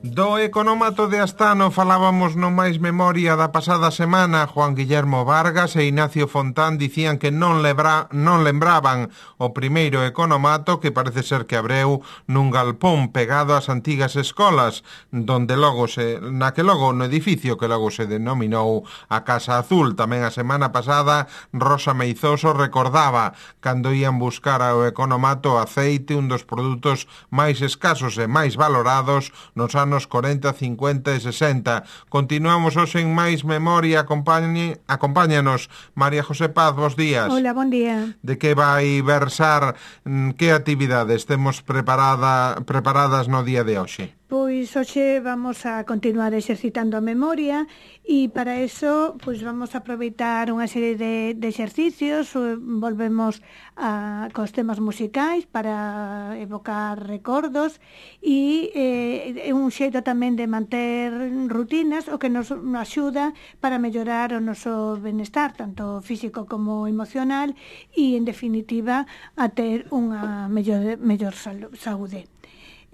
Do economato de Astano falábamos no máis memoria da pasada semana. Juan Guillermo Vargas e Ignacio Fontán dicían que non lembraban o primeiro economato, que parece ser que abreu nun galpón pegado ás antigas escolas, donde logo no edificio que logo se denominou a Casa Azul. Tamén a semana pasada Rosa Meizoso recordaba cando ían buscar ao economato aceite, un dos produtos máis escasos e máis valorados nos anos 40, 50 e 60. Continuamos hoxe en máis memoria. Acompáñanos María José Paz, bos días. Hola, bon día. De que vai versar, que actividades temos preparadas no día de hoxe? Pois hoxe vamos a continuar exercitando a memoria e para eso pois vamos a aproveitar unha serie de exercicios. Volvemos cos temas musicais para evocar recordos e un xeito tamén de manter rutinas, o que nos axuda para mellorar o noso benestar, tanto físico como emocional, e en definitiva a ter unha mellor saúde.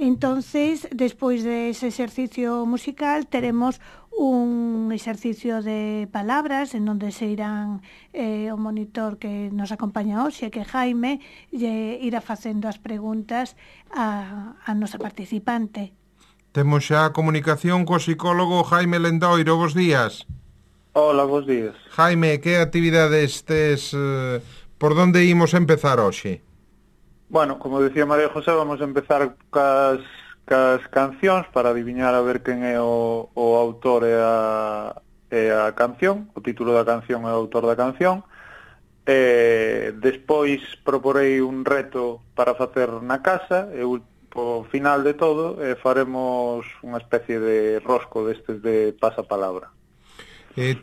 Entonces, despois dese exercicio musical, teremos un exercicio de palabras en onde se irán o monitor que nos acompaña hoxe, que Jaime, irá facendo as preguntas a nosa participante. Temos xa a comunicación co psicólogo Jaime Lendoiro. Bos días. Hola, bos días. Jaime, que actividades tes? Por onde imos empezar hoxe? Bueno, como decía María José, vamos a empezar cas cancións para adiviñar a ver quen é o autor e a canción, o título da canción e o autor da canción. Despois proporei un reto para facer na casa e ao final de todo faremos unha especie de rosco destes de pasapalabra.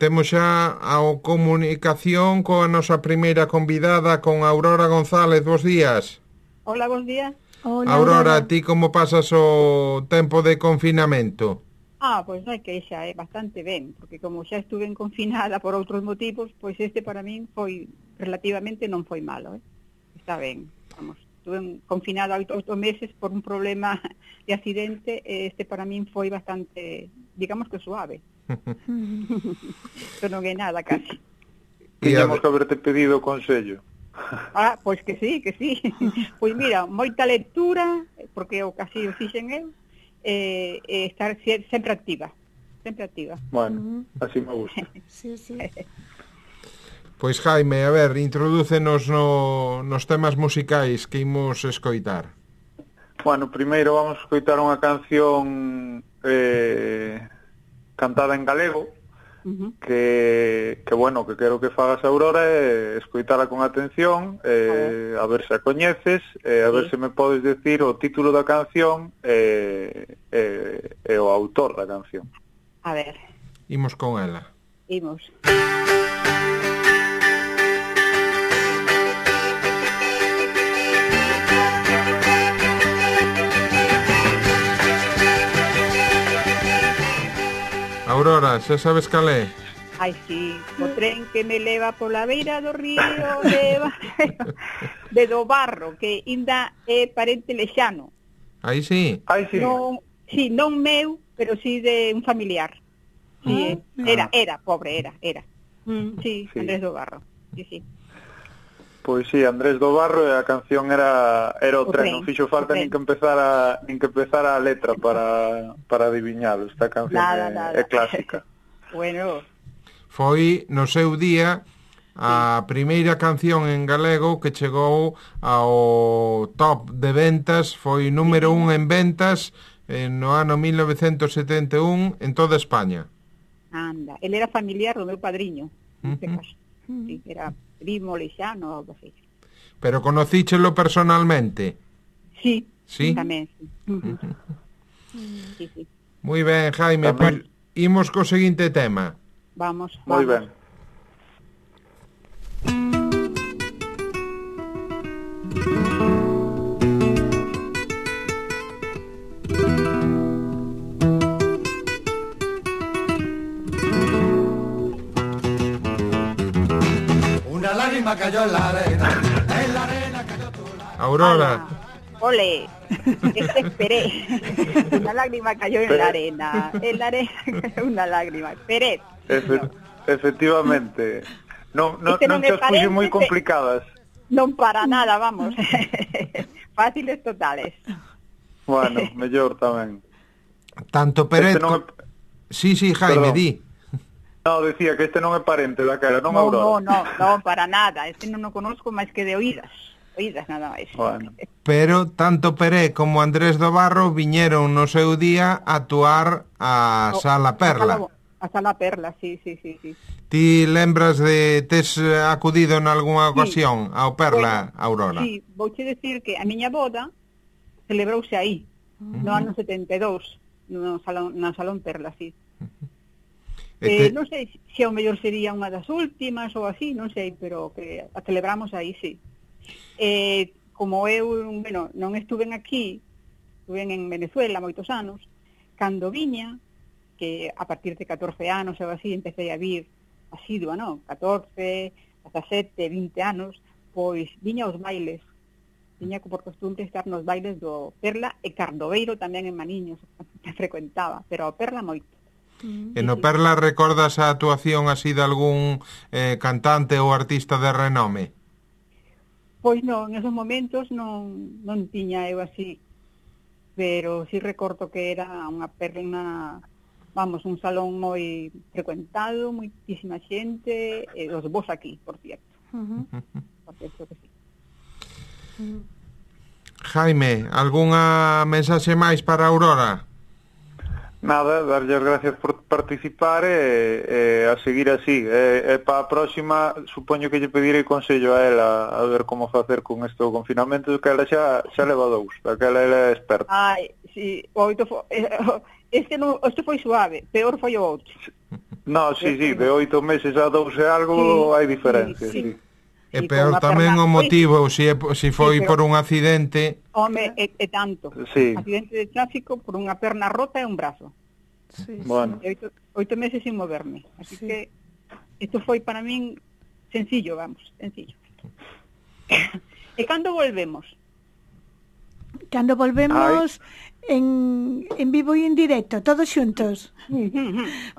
Temos xa a comunicación coa nosa primeira convidada, con Aurora González. Bos días. Hola, bons días. Hola, Aurora, ti como pasas o tempo de confinamento? Pois non hai queixa, bastante ben, porque como xa estuve confinada por outros motivos, pois este para min foi, relativamente non foi malo, Está ben, vamos, estuve confinada 8 meses por un problema de accidente, este para min foi bastante, digamos que suave. Isto non é nada, casi. Tiñamos que haberte pedido o consello. Pois que sí. Pois mira, moita lectura, porque eu casi o fixen eu, estar sempre activa. Bueno, así me gusta. Sí. Pois Jaime, a ver, introdúcenos nos temas musicais que imos escoitar. Bueno, primeiro vamos a escoitar unha canción cantada en galego, que bueno, que quero que fagas, Aurora, escoitala con atención, a ver se a coñeces, a ver se me podes decir o título da canción e o autor da canción. A ver. Imos con ela. Imos. Aurora, xa sabes cal é? Ai, sí, o tren que me leva pola beira do río de do Barro, que ainda é parente lexano. Aí sí? Aí sí. Non meu, pero sí de un familiar. Sí, era, pobre, era. Sí, Andrés do Barro, sí. Pois sí, Andrés do Barro, e a canción era o tren. Non fixo falta nin que empezar a letra para adiviñalo. Esta canción é clásica. Bueno. Foi no seu día a primeira canción en galego que chegou ao top de ventas, foi número 1 en ventas no ano 1971 en toda España. Anda, ele era familiar do meu padriño, neste caso. Sí, era primo lexano ou algo así. Pero conocíchelo personalmente? Sí, tamén. Sí. Moi ben, Jaime, pois imos co seguinte tema. Vamos. Moi ben. Aurora. Ole. Esperé. Una lágrima cayó en la arena. En la arena cayó una lágrima. Esperé. Efectivamente. Non te as puxo moi complicadas. Non para nada, vamos. Fáciles totales. Bueno, mellor tamén. Tanto Peret... Sí, Jaime, di. No, decía que este non é parente daquela, non Aurora. No, para nada. Este non o conozco máis que de oídas nada máis. Bueno. Pero tanto Peret como Andrés do Barro viñeron no seu día a actuar a Sala Perla. A Sala Perla, sí. Ti lembras de tes acudido en algunha ocasión ao Perla, Aurora? Sí, vouche decir que a miña boda celebrouse aí, no ano 72, na Salón Perla, sí. Non sei se ao mellor sería unha das últimas ou así, non sei, pero que a celebramos aí, sí. Como eu, non estuven aquí, estuven en Venezuela moitos anos, cando viña, que a partir de 14 anos ou así empecé a vir asidua, non? 14, 17, 20 anos, pois viña aos bailes. Viña por costumbre estar nos bailes do Perla e Cardoveiro tamén en Maniños, que frecuentaba, pero ao Perla moito. E no Perla recordas a actuación así de algún cantante ou artista de renome? Pois non, en esos momentos non tiña eu así, pero sí recordo que era unha perla, vamos, un salón moi frecuentado, moitísima xente, e os vos aquí, por cierto. Por cierto que sí. Jaime, algunha mensaxe máis para Aurora? Nada, darlle as gracias por participar e a seguir así. Para a próxima, supoño que lle pedirei consello a ela a ver como facer con este confinamento, que ela xa leva 2, daquela ela é experta. Ai, sí, este foi suave, peor foi o outro. No, sí, de 8 meses a 2 e algo hai diferencia, sí. E peor tamén o motivo, se foi por un accidente... Home, é tanto. Sí. Accidente de tráfico por unha perna rota e un brazo. Sí, bueno. 8 meses sin moverme. Así que isto foi para min sencillo, sencillo. E cando volvemos? Cando volvemos en vivo e en directo, todos xuntos.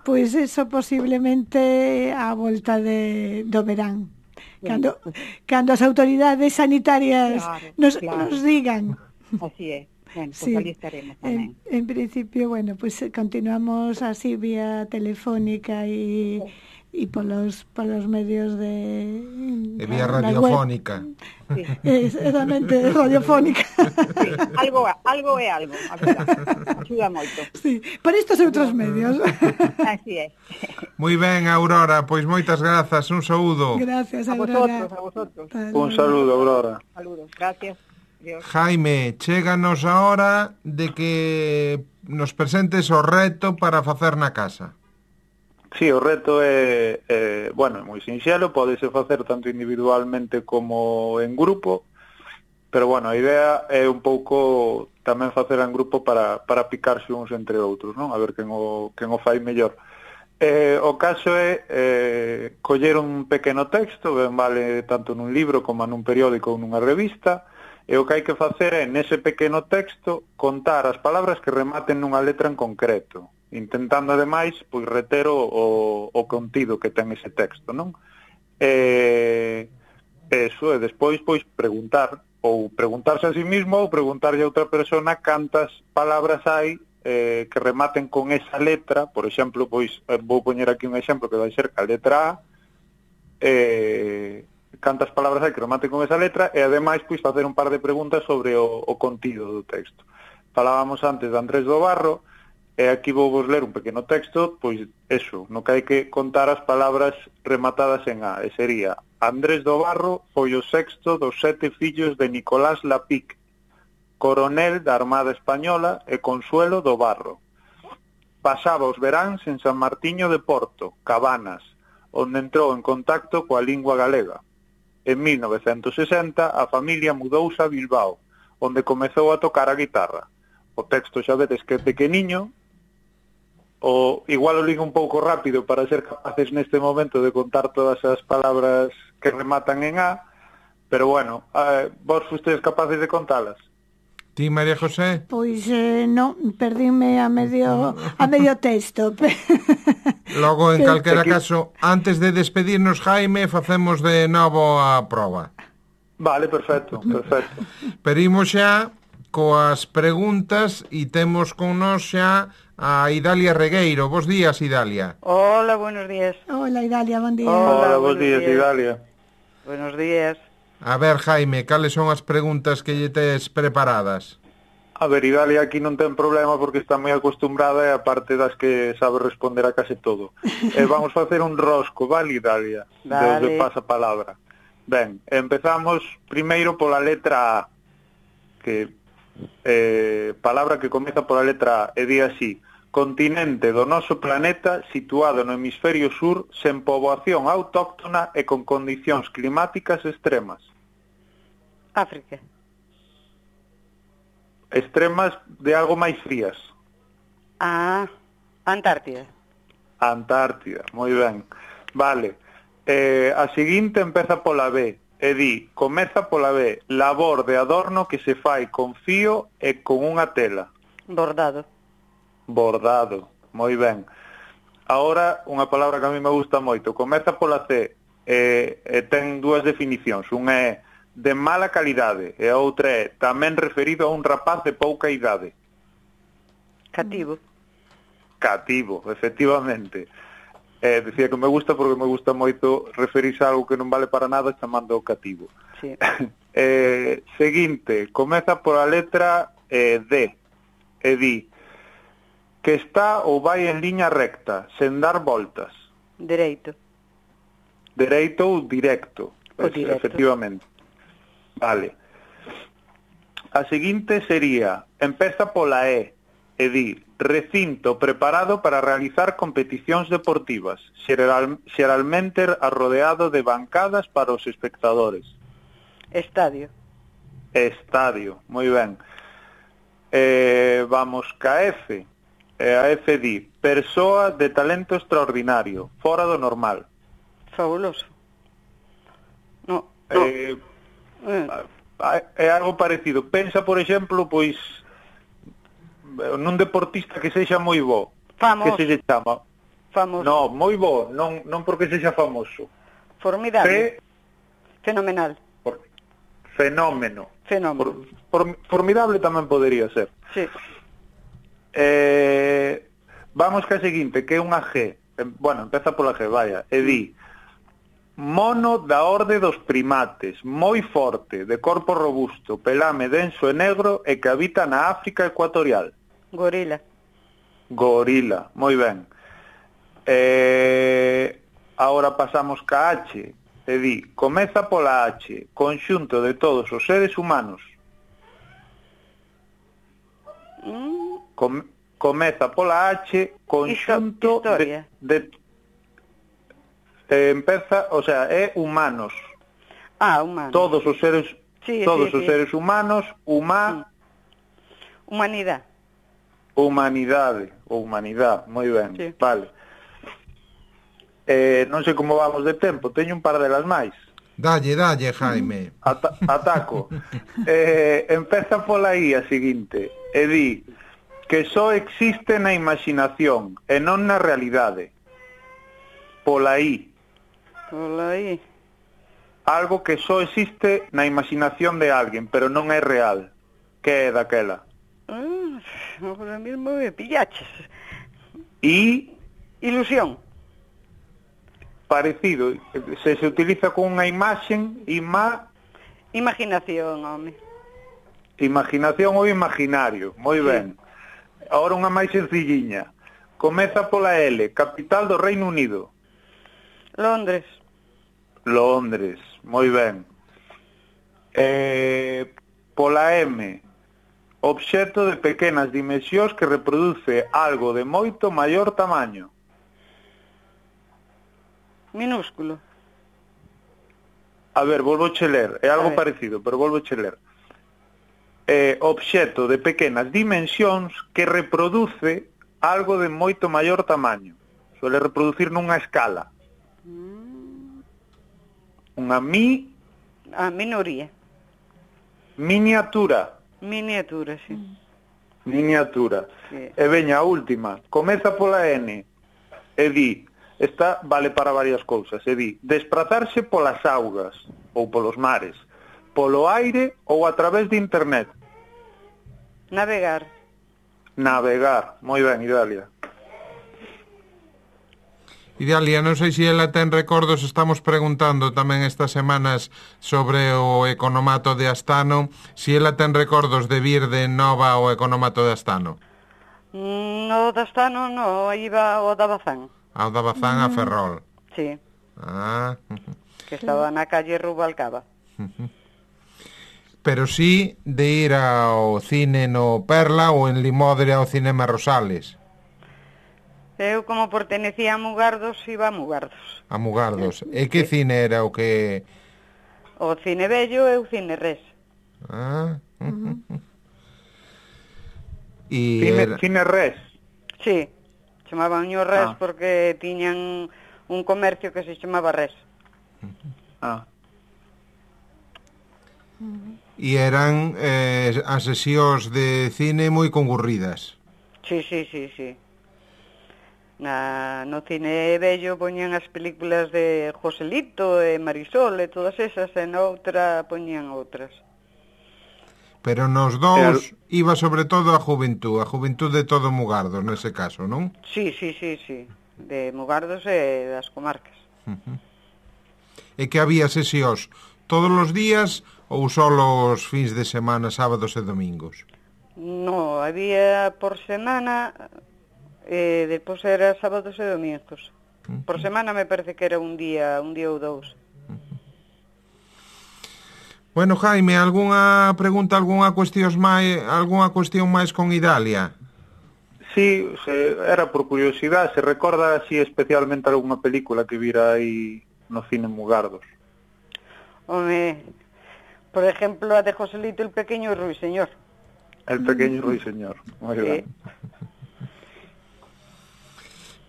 Pois eso posiblemente a volta do verán. Cando as autoridades sanitarias nos digan. Así é. Bueno, pues ali estaremos tamén. En principio, pues continuamos así vía telefónica e polos medios de vía radiofónica. Sí. Exactamente, radiofónica. Sí, algo é algo, a verdade. Axuda moito. Sí, por estos outros medios. Así é. Moi ben, Aurora, pois moitas grazas, un saúdo. Gracias, Aurora. A vosotros. Un saludo, Aurora. Saludos, gracias. Dios. Jaime, chéganos a hora de que nos presentes o reto para facer na casa. Sí, o reto é moi sinxelo, podese facer tanto individualmente como en grupo, pero a idea é un pouco tamén facer en grupo para picarse uns entre outros, non? A ver quen o fai mellor. O caso é coller un pequeno texto, ben vale tanto nun libro como nun periódico ou nunha revista, e o que hai que facer é, nese pequeno texto, contar as palabras que rematen nunha letra en concreto, intentando, ademais, reter o contido que ten ese texto, non? Eso, e despois, preguntar, ou preguntarse a sí mismo, ou preguntarlle a outra persona cantas palabras hai que rematen con esa letra. Por exemplo, vou poñer aquí un exemplo que vai ser a letra A, cantas palabras hai que rematen con esa letra, e ademais facer un par de preguntas sobre o contido do texto. Falábamos antes de Andrés do Barro, e aquí vou vos ler un pequeno texto, eso, no que hai que contar as palabras rematadas en A, e sería: Andrés do Barro foi o sexto dos 7 fillos de Nicolás Lapic, coronel da Armada Española e Consuelo do Barro. Pasaba os veráns en San Martiño de Porto, Cabanas, onde entrou en contacto coa lingua galega. En 1960 a familia mudouse a Bilbao, onde comezou a tocar a guitarra. O texto xa vedes que é pequeniño, igual o ligo un pouco rápido para ser capaces neste momento de contar todas as palabras que rematan en A, pero vos fustedes capaces de contalas? Ti, María José? Pois non, perdíme a medio texto. Logo, en calquera caso, antes de despedirnos, Jaime, facemos de novo a proba. Vale, perfecto. Pero imos xa coas preguntas e temos con nós xa a Idalia Regueiro. Bos días, Idalia. Hola, buenos días. Hola, Idalia, bon día. Hola, bos días, Idalia. Buenos días. A ver, Jaime, cales son as preguntas que lle tes preparadas? A ver, Idalia aquí non ten problema porque está moi acostumbrada e aparte das que sabe responder a case todo. Vamos facer un rosco, vale, Idalia? Vale. Desde pasa palabra. Ben, empezamos primeiro pola letra A, que palabra que comeza pola letra A e di así: continente do noso planeta situado no hemisferio sur sen poboación autóctona e con condicións climáticas extremas. África. Extremas de algo máis frías. Antártida. Antártida, moi ben. Vale. A seguinte empeza pola B e di, comeza pola B, labor de adorno que se fai con fío e con unha tela. Bordado. Bordado, moi ben. Ahora, unha palabra que a mí me gusta moito, comeza pola C e ten dúas definicións. Unha é de mala calidade e a outra é tamén referido a un rapaz de pouca idade. Cativo. Cativo, efectivamente. Decía que me gusta porque me gusta moito referirse a algo que non vale para nada chamando o cativo. Sí. Seguinte, comeza pola letra D e di que está ou vai en liña recta, sen dar voltas. Dereito. Dereito ou directo. Directo. Efectivamente. Vale. A seguinte sería, empeza pola E di, recinto preparado para realizar competicións deportivas, xeralmente arrodeado de bancadas para os espectadores. Estadio. Estadio, moi ben. Vamos ca F. A F di, persoa de talento extraordinario, fora do normal. Fabuloso. No. É algo parecido. Pensa, por exemplo, pois nun deportista que sexa moi bo. Famoso. Que se lle chama? Famoso. No, moi bo, non porque sexa famoso. Formidable. Fenomenal. Fenómeno. Formidable tamén podería ser. Sí. Vamos ca seguinte, que é unha G. Bueno, empeza pola G, vaya. E di, mono da orde dos primates, moi forte, de corpo robusto, pelame denso e negro e que habita na África ecuatorial. Gorila. Gorila, moi ben. Ahora pasamos ca H, e di, comeza pola H, conxunto de todos os seres humanos. Comeza pola H, conxunto de empeza, o sea, é humanos. Humanos. Todos os seres os seres humanos, humanidade. Humanidade, ou humanidade, moi ben. Sí. Vale. Non sei como vamos de tempo, teño un par delas máis. Dalle, Jaime. Ataco. Empeza pola I a seguinte, e di que só existe na imaginación e non na realidade. Pola I. Algo que só existe na imaginación de alguén, pero non é real. Que é daquela? Ahora mismo me pillaches. I. Ilusión. Parecido. Se utiliza con unha imaxen, Imaginación, home. Imaginación ou imaginario. Moi ben. Ahora unha máis sencilliña. Comeza pola L, capital do Reino Unido. Londres, moi ben. Pola M, obxecto de pequenas dimensións que reproduce algo de moito maior tamaño. minúsculo. A ver, volvo che ler, é algo parecido, pero volvo che ler. Obxecto de pequenas dimensións que reproduce algo de moito maior tamaño. Suele reproducir nunha escala. Unha minoría. Miniatura. Miniatura, sí. Miniatura. Sí. E veña a última, comeza pola N e di, esta vale para varias cousas, e di, desprazarse polas augas ou polos mares, polo aire ou a través de internet. Navegar. Navegar, moi ben, Idalia. Idalia, non sei se ela ten recordos, estamos preguntando tamén estas semanas sobre o economato de Astano, se ela ten recordos de vir de nova ao economato de Astano. No de Astano, no, iba o da Bazán. Ao da Bazán a Ferrol. Sí, Ah, que estaba na calle Rubalcaba. pero sí de ir ao cine no Perla ou en Limodre ao Cinema Rosales. Eu, como pertenecía a Mugardos, iba a Mugardos. A Mugardos. E que cine era o que... O Cine Bello e o Cine Res. Ah, e era... Cine Res. Sí, chamaban o Res Ah. porque tiñan un comercio que se chamaba Res. Ah. E eran as sesións de cine moi concurridas. Sí. No Cine Bello poñían as películas de Joselito e Marisol e todas esas, e na outra poñían outras. Pero nos dous iba sobre todo a juventud de todo Mugardos, nese caso, non? Sí, de Mugardos e das comarcas. E que había sesións todos os días ou só os fins de semana, sábados e domingos? No, había por semana, depois era sábados e domingos. Por semana me parece que era un día ou dous. Bueno, Jaime, algunha pregunta, algunha cuestión máis con Idalia? Sí, era por curiosidade, se recorda así especialmente algunha película que vira aí no cine Mugardos. Home, por exemplo, a de Joselito el pequeño ruiseñor. El pequeño ruiseñor, moi ben.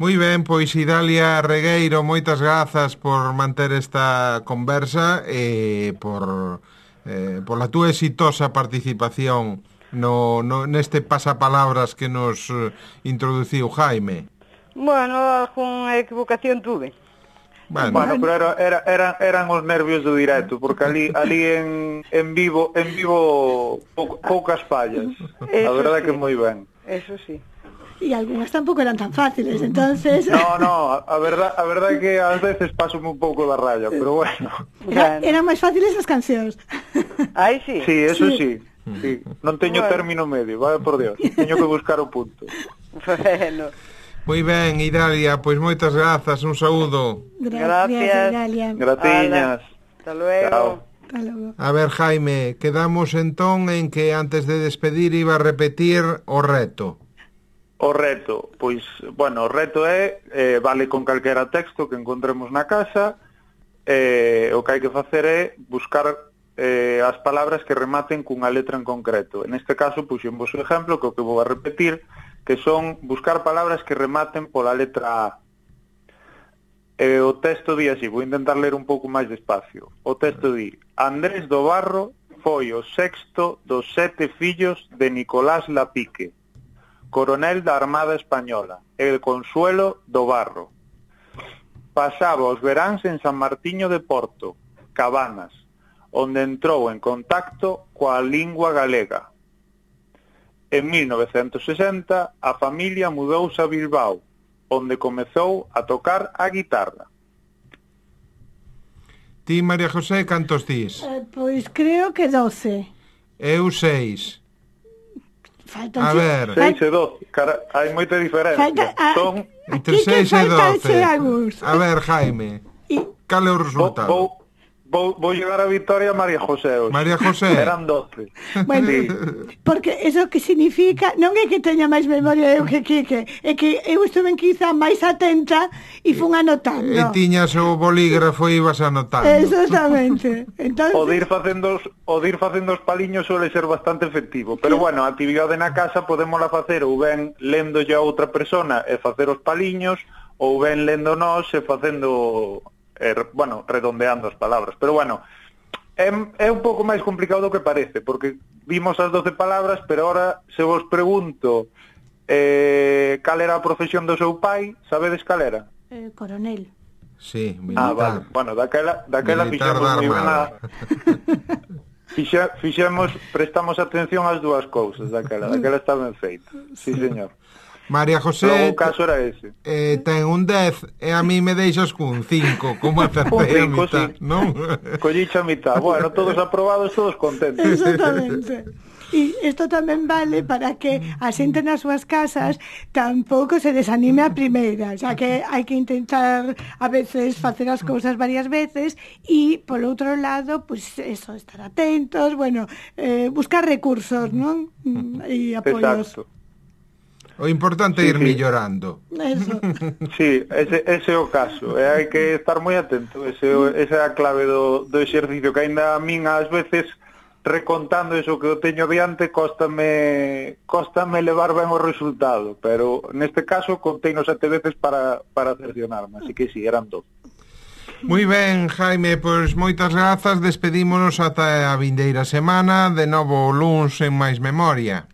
Moi ben, pois Idalia Regueiro, moitas grazas por manter esta conversa e por la túa exitosa participación neste pasapalabras que nos introduciu Jaime. Bueno, algunha equivocación tuve. Bueno, pero eran os nervios do directo, porque ali en vivo poucas fallas. A verdade sí. Que moi ben. Eso sí. E algunhas tampouco eran tan fáciles, entonces... No, a verdade é que ás veces pasome un pouco da raya, pero bueno. Eran máis fáciles as cancións. Aí sí. Sí, eso sí. Sí. Non teño término medio, vale por Dios. Teño que buscar o punto. Bueno. Moi ben, Idalia, pois moitas grazas, un saúdo. Gracias, Idalia. Gratiñas. Hasta luego. Chao. Hasta luego. A ver, Jaime, quedamos entón en que antes de despedir iba a repetir o reto. O reto, pois, bueno, o reto é, vale con calquera texto que encontremos na casa, o que hai que facer é buscar as palabras que rematen cunha letra en concreto. En este caso, puxemos o exemplo, que o que vou a repetir, que son buscar palabras que rematen pola letra A. O texto di así, vou intentar ler un pouco máis despacio. O texto di, Andrés do Barro foi o sexto dos 7 fillos de Nicolás Lapique, coronel da Armada Española, e Consuelo do Barro. Pasaba os veráns en San Martiño de Porto, Cabanas, onde entrou en contacto coa lingua galega. En 1960, a familia mudouse a Bilbao, onde comezou a tocar a guitarra. Ti, María José, cantos dís? Pois creo que 12. Eu 6. Faltan A ver. 6 e 12, cara, hai moita diferencia. Son entre 6 e 12. A ver, Jaime, cal é o resultado? Vou llegar a victoria a María José hoxe. María José. Eran 12. Bueno, Sí. porque eso que significa non é que teña máis memoria eu que Quique, é que eu estuve quizá máis atenta e fun anotando. E tiñas o bolígrafo e ibas anotando. Exactamente. Entonces... O de ir facendo os paliños suele ser bastante efectivo, pero bueno, a actividade na casa podémola facer ou ben léndolle a outra persona e facer os paliños, ou ben lendo nós e facendo, bueno, redondeando as palabras. Pero bueno, É un pouco máis complicado do que parece, porque vimos as 12 palabras, pero ahora se vos pregunto cal era a profesión do seu pai, sabedes cal era? Coronel. Sí, militar. Vale. Bueno, daquela Militar fixemos moi ben Armada. prestamos atención ás dúas cousas daquela está ben feita. Sí, señor. María José, Logo o caso era ese. ten un 10 e a mí me deixas cun 5, como acertei a Un 5, mitad, sí. non? Colliche a mitad. Bueno, todos aprobados, todos contentos. Exactamente. E isto tamén vale para que a xente nas súas casas tampouco se desanime a primeira, xa que hai que intentar a veces facer as cousas varias veces e, polo outro lado, pues eso, estar atentos, bueno, buscar recursos, non? E apoios. Exacto. O importante é ir Sí. millorando. Eso. Sí, ese é o caso. E hai que estar moi atento. Esa é a clave do exercicio, que aínda a min ás veces recontando eso que eu teño diante cóstame levar ben o resultado, pero neste caso conteino 7 veces para cercionarme, así que sí, eran 2. Moi ben, Jaime, pois moitas grazas, despedímonos ata a vindeira semana, de novo o luns en Máis Memoria.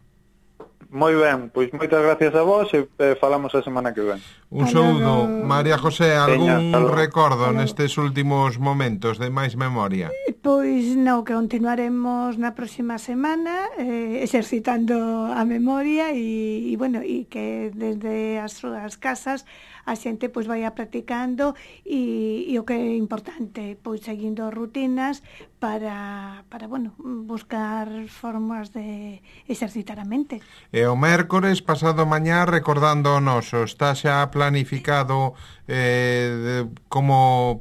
Moi ben, pois moitas gracias a vos e falamos a semana que ven. Un saúdo. María José, algún Veña, recordo nestes últimos momentos de Máis Memoria? Pois non, que continuaremos na próxima semana exercitando a memoria e bueno, e que desde as súas casas a xente pois vai practicando e o que é importante, pois seguindo rutinas para bueno, buscar formas de exercitar a mente. E o mércores pasado mañá recordando o noso, está xa planificado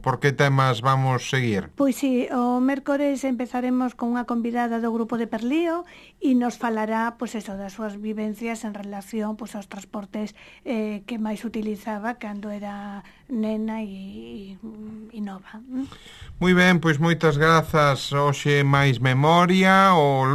por que temas vamos seguir? Pois sí, o mércores empezaremos con unha convidada do grupo de Perlío e nos falará pois eso, das súas vivencias en relación pois aos transportes que máis utilizaba cando era nena e nova. Moi ben, pois moitas grazas. Hoxe Máis Memoria, o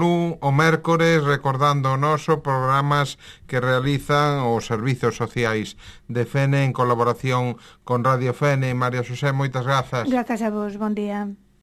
mércores recordando o noso, programas que realizan os servizos sociais de Fene en colaboración con Radio Fene. María Xosé, moitas grazas. Grazas a vos, bon día.